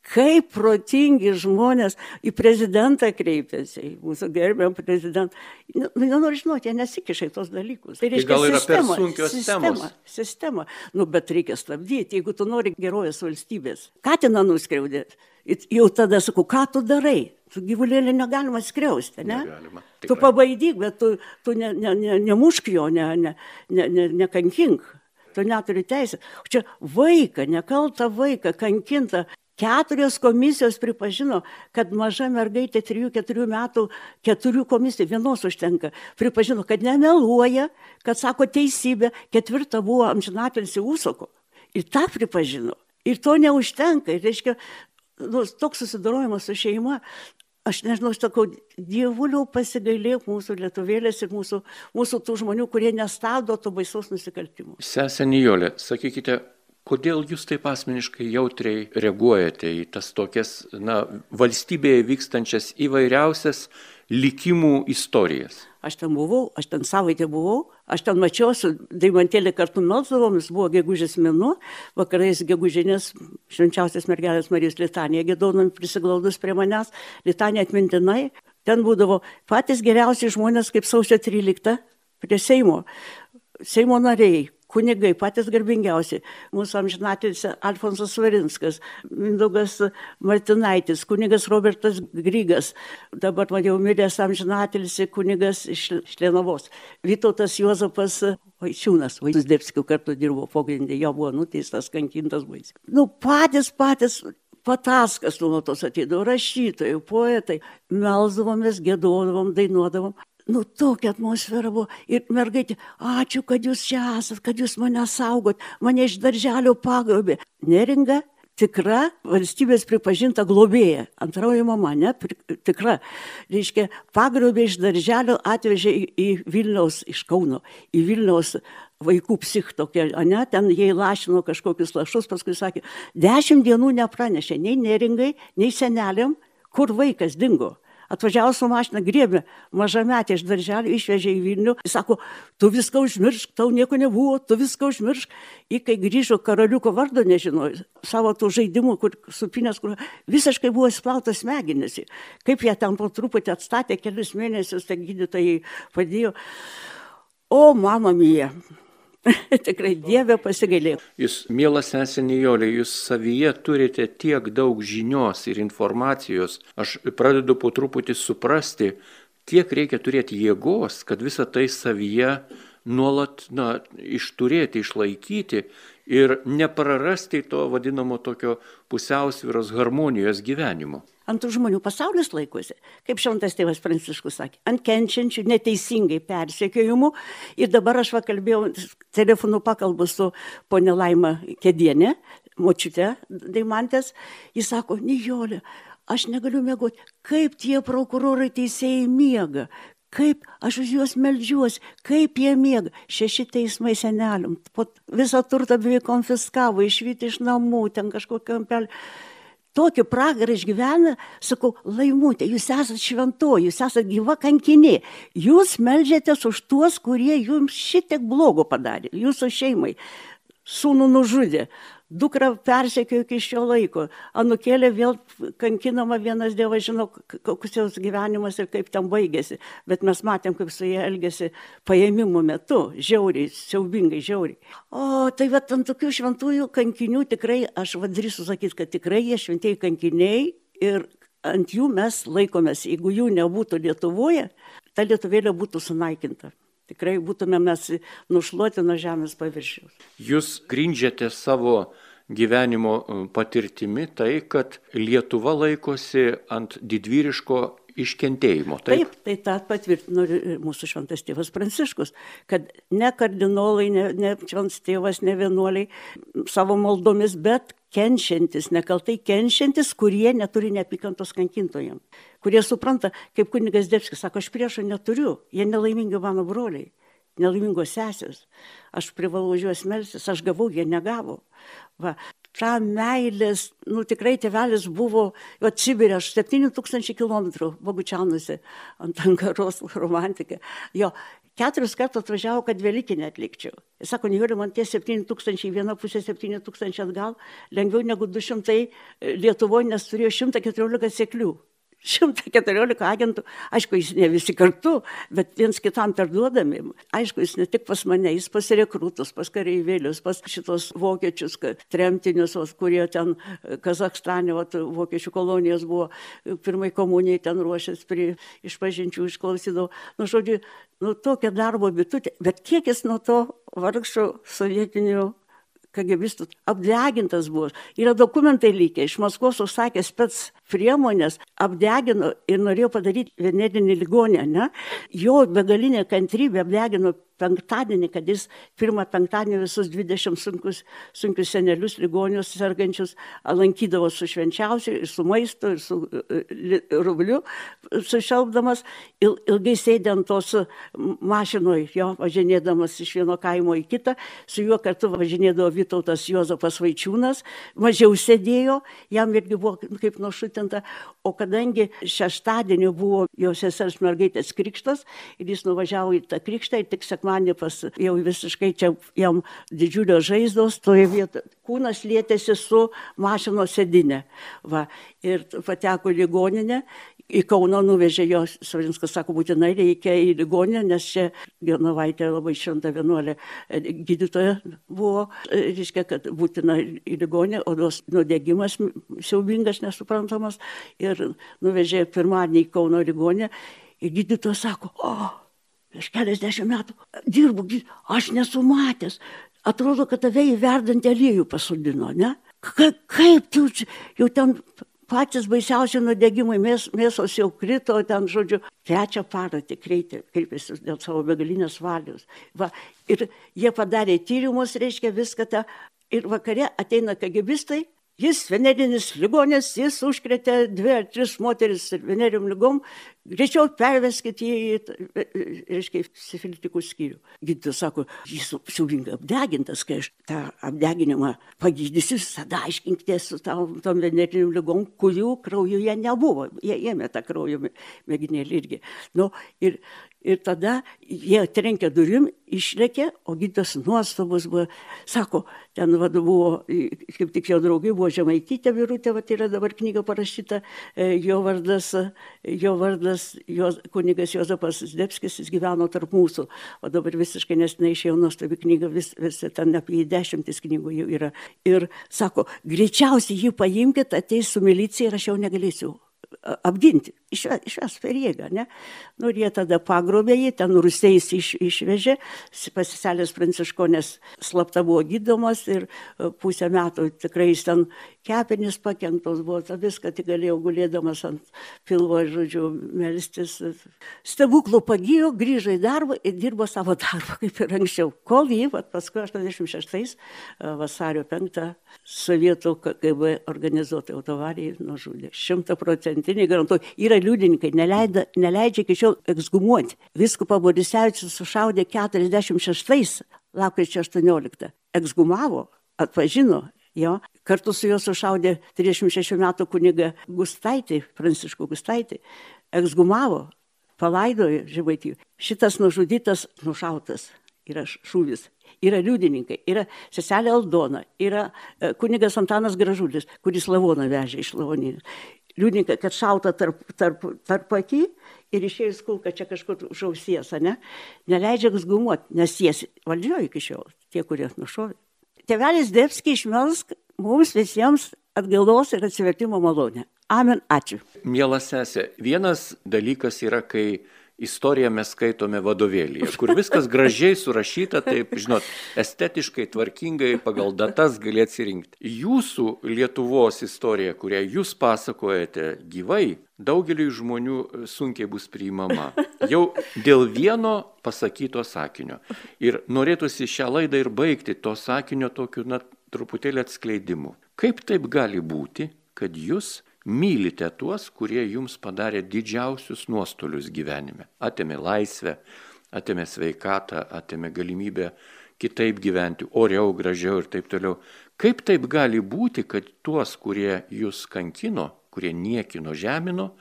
kaip protingi žmonės į prezidentą kreipėsi, į mūsų gerbiamą prezidentą. Nu, nenoriu žinoti, jie nesikiša į tos dalykus. Tai reiškia, gal yra sistema, per sunkios sistema, temos. Sistema. Nu, bet reikia stabdyti, jeigu tu nori gerovės valstybės. Katiną nuskriaudė. Jau tada sakau, ką tu darai? Tu gyvulėlį negalima skriausti, ne? Negalima. Tu Tikrai. pabaidyk, bet tu, tu ne, ne, ne, nemušk jo, ne, ne, ne, ne, nekankink. Tu neturi teisę. Čia vaiką, nekaltą vaiką, kankinta. Keturios komisijos pripažino, kad maža mergaitė trijų keturių metų, keturių komisijų, vienos užtenka, pripažino, kad nemeluoja, kad sako teisybę, ketvirta buvo amžinatilsį Ūsoko. Ir tą pripažino. Ir to neužtenka. Ir reiškia, nu, toks susidorojimas su šeima, aš nežinau, aš sakau, dievuliau pasigailėk mūsų lietuvėlės ir mūsų, mūsų tų žmonių, kurie nestabdo to baisaus nusikaltimų. Sesė Nijolė, sakykite, kodėl jūs taip asmeniškai jautriai reaguojate į tas tokias, na, valstybėje vykstančias įvairiausias likimų istorijas? Aš ten buvau, aš ten savaitę buvau, aš ten mačiau, su Deimantėlė kartu melsdavom, jis buvo gegužės mėnuo, vakarais gegužinės švenčiausios mergelės Marijos litanija giedonom prisiglaudus prie manęs, litanija atmintinai. Ten būdavo patys geriausi žmonės kaip sausio tryliktą prie Seimo, Seimo nariai. Kunigai, patys garbingiausi, mūsų amžinatilsį Alfonsas Svarinskas, Mindaugas Martinaitis, kunigas Robertas Grygas, dabar man jau miręs amžinatilsį kunigas iš Šlienavos, Vytautas Juozapas Vaičiūnas, Vaisdebskių kartu dirbo pogrindė, jo buvo nuteistas, kankintas baisiai. Nu, patys, patys, Pataskas nuolatos ateidavo, rašytojai, poetai, melsdavomės, giedodavom, dainuodavom. Nu, tokia atmosfera buvo. Ir mergaitė, ačiū, kad jūs čia esat, kad jūs mane saugot, mane iš darželio pagrobė. Neringa, tikra valstybės pripažinta globėja. Antroji mama, ne, tikra. Reiškia, pagrobė iš darželio, atvežė į, į Vilniaus, iš Kauno, į Vilniaus vaikų psich tokia, ne, ten jie lašino kažkokius lašus, paskui sakė, dešimt dienų nepranešė nei Neringai, nei seneliam, kur vaikas dingo. Atvažiavo su mašina, griebė mažametę iš darželio, išvežė į Vilnių. Jis sako, tu viską užmiršk, tau nieko nebuvo, tu viską užmiršk. Ir kai grįžo, karaliuko vardo nežinojo, savo tų žaidimų, kur supinės, kur visiškai buvo įsplautas smegenys. Kaip jie ten po truputį atstatė, kelius mėnesius, tai gydytojai padėjo. O, mama mija. Tikrai Dieve pasigailėk. Jūs, mielas sesė Nijolė, jūs savyje turite tiek daug žinios ir informacijos. Aš pradedu po truputį suprasti, kiek reikia turėti jėgos, kad visą tai savyje nuolat, na, išturėti, išlaikyti ir neprarasti to vadinamo tokio pusiausvyros harmonijos gyvenimo. Ant tų žmonių pasaulis laikosi, kaip šventas tėvas Pranciškus sakė, ant kenčiančių neteisingai persekiojimų. Ir dabar aš va kalbėjau, telefonu pakalbu su ponia Laima Kedienė, močiute Deimantės. Jis sako, Nijolė, aš negaliu miegoti, kaip tie prokurorai teisėjai miega, kaip aš už juos meldžiuosi, kaip jie miega. Šeši teismai seneliam, visą turtą beveik konfiskavo, išvyti iš namų, ten kažkokią kampelį. Tokį pragarą išgyvena, sakau, Laimutė, jūs esat šventoji, jūs esat gyva kankinė. Jūs meldžiatės už tuos, kurie jums šitiek blogo padarė, jūsų šeimai. Sūnų nužudė, dukra persekiojo iki šio laiko, anūkėlė vėl kankinama, vienas Dievas žino, koks jos gyvenimas ir kaip ten baigėsi. Bet mes matėm, kaip su jie elgėsi paėmimo metu, žiauriai, siaubingai žiauriai. O tai va, ant tokių šventųjų kankinių tikrai, aš vadrįsiu sakyti, kad tikrai jie šventieji kankiniai ir ant jų mes laikomės. Jeigu jų nebūtų Lietuvoje, ta lietuvėlė būtų sunaikinta. Tikrai būtume mes nušluoti nuo žemės paviršiaus. Jūs grindžiate savo gyvenimo patirtimi tai, kad Lietuva laikosi ant didvyriško iškentėjimo. Taip, taip tai tą patvirtino mūsų šventas tėvas Pranciškus, kad ne kardinolai, ne, ne šventas tėvas, ne vienuoliai savo maldomis, bet kenčiantis, nekaltai kenčiantis, kurie neturi neapykantos kankintojams, kurie supranta, kaip kunigas Zdebskis sako, aš priešo neturiu, jie nelaimingi mano broliai, nelaimingos sesės, aš privalau už juos melstis, aš gavau, jie negavo. Va. Ta meilės, nu tikrai tėvelis buvo, jo Sibirė, aš septyni tūkstančiai kilometrų Bogučianuose ant Ankaros romantika. Jo, keturis kartus atvažiavo, kad Velykinę atlikčiau. Jis sako, nežiūrė, man tie septyni tūkstančiai, viena pusė septyni tūkstančiai atgal, lengviau negu du šimtai Lietuvoje, nes turėjo šimtą keturiolika seklių. šimtą keturiolika agentų, aišku, jis ne visi kartu, bet viens kitam perduodami. Aišku, jis ne tik pas mane, jis pas rekrūtus, pas kareivėlius, pas šitos vokiečius, tremtinius, kurie ten Kazakstane, vokiečių kolonijos buvo, pirmai komunijai ten ruošęs, prie išpažinčių išklausydavo. Nu, žodžiu, nu, tokia darbo bitutė, bet kiek jis nuo to vargšo sovietinių kagebistų apdegintas buvo. Yra dokumentai likę, iš Maskvos užsakė spec priemonės, apdegino ir norėjo padaryti venetinį ligonę, ne? Jo begalinė kantrybė apdegino penktadienį, kad jis pirmą penktadienį visus dvidešimt sunkius, sunkius senelius, ligonius, sergančius lankydavo su švenčiausiu, ir su maistu, ir su rubliu sušelpdamas, il, ilgai sėdė ant tos mašinoje, jo, važinėdamas iš vieno kaimo į kitą, su juo kartu važinėdavo Vytautas Juozapas Vaičiūnas, mažiau sėdėjo, jam irgi buvo kaip nušutinta, o kadangi šeštadienį buvo jo sesers mergaitės krikštas, ir jis nuvažiavo į tą krikštą, ir tik sekmadienį pas jau visiškai čia jam didžiulio žaizdos, toje vietoje kūnas lietėsi su mašinos sėdinė. Va, ir pateko į ligoninę, į Kauną nuvežė jo, Svarinskas sako, būtinai reikia į ligoninę, nes čia Genovaitė labai šventa vienuolė gydytoja buvo, reiškia, kad būtina į ligoninę, odos nudegimas siaubingas, nesuprantamas, ir nuvežė pirmadienį į Kauno ligoninę, ir gydytojas sako, o, prieš keliasdešimt metų dirbu, aš nesu matęs, atrodo, kad tave į verdantį aliejų pasodino, ne? Ka, kaip tu jau ten patys baisiausi nudegimai, mės, mėsos jau krito, ten, žodžiu, trečią parą tik kreipėsi dėl savo begalinės valios. Va, ir jie padarė tyrimus, reiškia viską tą, ir vakare ateina kagebistai, jis venerinis ligonis, jis užkrėtė dvi ar tris moteris venerium ligom, greičiau perveskit jį į, reiškia, sifilitikų skyrių. Gydytojas sako, jis siaubingai apdegintas, kai aš tą apdeginimą pagydysiu, tada aiškinkitės su tom, tom venerinium ligom, kurių kraujuje nebuvo. Jie ėmė tą kraujo mėginėlį irgi. Nu, ir, ir tada jie trenkė durim, išlėkė, o gydytojas nuostabus buvo. Sako, ten vadu buvo, kaip tik jo draugai buvo Žemaitytė Birutė, va, yra dabar knyga parašyta, jo vardas, jo vardas Jos, kunigas Juozapas Zdebskis, jis gyveno tarp mūsų, o dabar visiškai nesnai išėjo nuostabi knyga, vis, vis ten apie dešimtis knygų jau yra. Ir sako, greičiausiai jį paimkit, ateis su milicija ir aš jau negalėsiu apginti, išves per jėgą, ne? Nu, ir jie tada pagrobė jį, ten Rusiais iš, išvežė, pasiselės Pranciškonės slapta buvo gydomas ir pusę metų tikrai jis ten kepenys pakenktos buvo, ta viską tik galėjau gulėdamas ant pilvo, žodžiu, melstis. Stebuklų pagijo, grįžo į darbą ir dirbo savo darbą, kaip ir anksčiau. Kol jį, vat, paskui aštuoniasdešimt šeštais vasario penktą sovietų K G B organizuotai autovarijai nužudė. Šimta procentinį garantuoju. Yra liudininkai, neleidžia, neleidžia iki šiol ekshumuoti. Vyskupą Borisevičius sušaudė keturiasdešimt šeštais lapkričio aštuonioliktą. Ekshumavo, atpažino jo. Kartu su juo sušaudė trisdešimt šešių metų kunigą Gustaitį, Pranciškų Gustaitį. Ekshumavo, palaidojo Žemaitijoje. Šitas nužudytas, nušautas. Yra šūvis. Yra liudininkai, yra seselė Aldona, yra kunigas Antanas Gražulis, kuris lavoną vežė iš lavonynės. Liudininkai, kad šauta tarp, tarp, tarp akį ir išėjus kulka čia kažkur už ausies, ne? Neleidžia ekshumuoti, nes jie valdžioje iki šiol, tie, kurie nušovė. Tėvelis Zdebskis išmelsk mums visiems atgailos ir atsivertimo malonę. Amen, ačiū. Miela sesė, vienas dalykas yra, kai istoriją mes skaitome vadovėlyje, kur viskas gražiai surašyta, taip, žinot, estetiškai, tvarkingai, pagal datas gali atsirinkti. Jūsų Lietuvos istorija, kurią jūs pasakojate gyvai, daugeliui žmonių sunkiai bus priimama. Jau dėl vieno pasakyto sakinio. Ir norėtųsi šią laidą ir baigti to sakinio tokiu, na, truputėlį atskleidimu. Kaip taip gali būti, kad jūs mylite tuos, kurie jums padarė didžiausius nuostolius gyvenime? Atėmė laisvę, atėmė sveikatą, atėmė galimybę kitaip gyventi, oriau, gražiau ir taip toliau. Kaip taip gali būti, kad tuos, kurie jūs kankino, kurie niekino, žemino,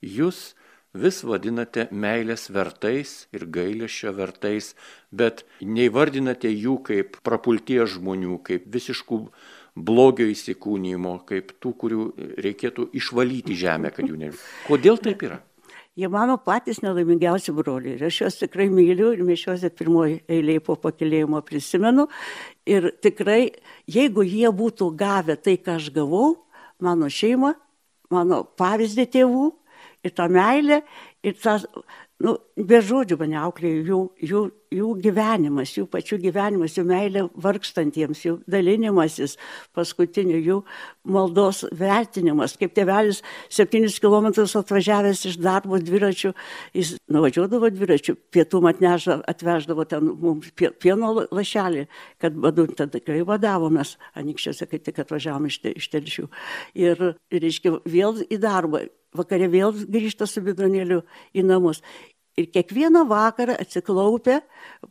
jūs vis vadinate meilės vertais ir gailesčio vertais, bet neįvardinate jų kaip prapulties žmonių, kaip visiškų blogio įsikūnymo, kaip tų, kurių reikėtų išvalyti žemę, kad jų ne. Kodėl taip yra? Jie mano patys nelaimingiausi broliai. Ir aš juos tikrai myliu ir mišiuose pirmoji eilėje po pakilėjimo prisimenu. Ir tikrai, jeigu jie būtų gavę tai, ką aš gavau, mano šeima, mano pavyzdį tėvų ir tą meilę, ir tą, nu, be žodžių mane auklėjo jų, jų, jų gyvenimas, jų pačių gyvenimas, jų meilė vargstantiems, jų dalinimasis, paskutinių jų maldos vertinimas. Kaip tėvelis septynis kilometrus atvažiavęs iš darbo dviračių, jis nuvažiuodavo dviračių, pietum atneža, atveždavo ten mums pieno lašelį, kad badu, tada tikrai vadavomės Anykščiuose, kai tik atvažiavom iš, te, iš Telšių. Ir, reiškia, vėl į darbą. Vakare vėl grįžta su bidonėliu į namus. Ir kiekvieną vakarą atsiklaupę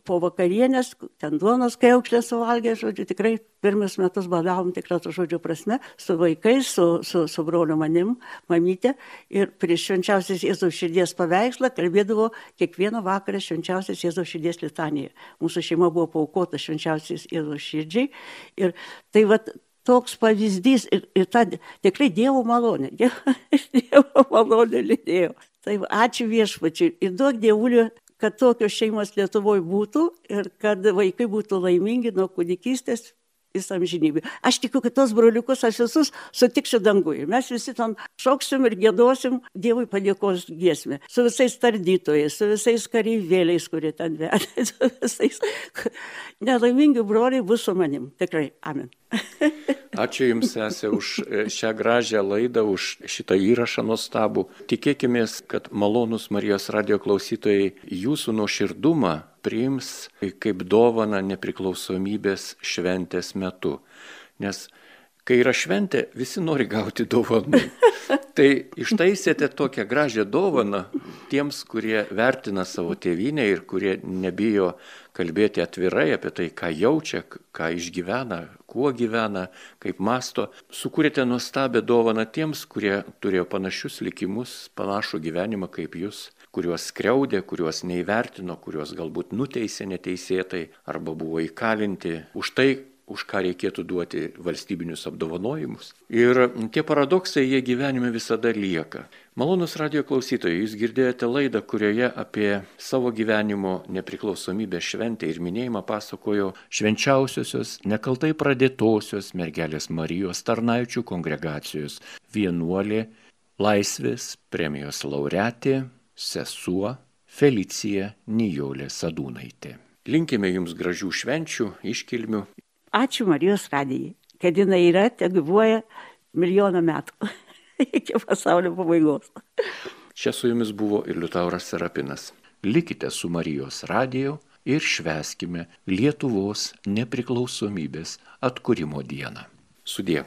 po vakarienės, ten duonos kriaukšlę suvalgė, žodžiu, tikrai pirmus metus badavom tikrą to žodžio prasme, su vaikais, su, su, su broliu manim, mamytė. Ir prieš švenčiausios Jėzaus širdies paveikslą kalbėdavo kiekvieną vakarą švenčiausios Jėzaus širdies litaniją. Mūsų šeima buvo paaukota švenčiausios Jėzaus širdžiai. Ir tai vat, toks pavyzdys ir, ir ta tikrai Dievo malonė, Dievo malonė lydėjo. Tai ačiū Viešpačiui ir duok Dievuliui, kad tokios šeimos Lietuvoje būtų ir kad vaikai būtų laimingi nuo kūdikystės visą amžinybę. Aš tikiu, kad tos broliukus aš visus sutiksiu danguje. Mes visi ten šoksim ir giedosim Dievui padėkos giesmę. Su visais tardytojais, su visais kareivėliais, kurie ten vedė, su visais. Nelaimingi broliai bus su manim. Tikrai. Amen. Ačiū Jums, sese, už šią gražią laidą, už šitą įrašą nuostabų. Tikėkimės, kad malonūs Marijos radijo klausytojai jūsų nuoširdumą priims kaip dovaną nepriklausomybės šventės metu. Nes kai yra šventė, visi nori gauti dovanų. Tai ištaisėte tokią gražią dovaną tiems, kurie vertina savo tėvynę ir kurie nebijo kalbėti atvirai apie tai, ką jaučia, ką išgyvena, kuo gyvena, kaip masto. Sukūrėte nuostabią dovaną tiems, kurie turėjo panašius likimus, panašų gyvenimą kaip jūs, kuriuos skriaudė, kuriuos neįvertino, kuriuos galbūt nuteisė neteisėtai arba buvo įkalinti už tai, už ką reikėtų duoti valstybinius apdovanojimus. Ir tie paradoksai, jie gyvenime visada lieka. Malonūs radijo klausytojai, jūs girdėjote laidą, kurioje apie savo gyvenimo nepriklausomybės šventę ir minėjimą pasakojo švenčiausiosios, nekaltai pradėtosios mergelės Marijos tarnaičių kongregacijos vienuolė, Laisvės premijos laureatė, sesuo Felicija Nijolė Sadūnaitė. Linkime jums gražių švenčių, iškilmių. Ačiū Marijos radijai, kad jinai yra, te gyvuoja milijoną metų iki pasaulio pabaigos. Čia su jumis buvo ir Liutauras Serapinas. Likite su Marijos radiju ir švęskime Lietuvos nepriklausomybės atkūrimo dieną. Sudie.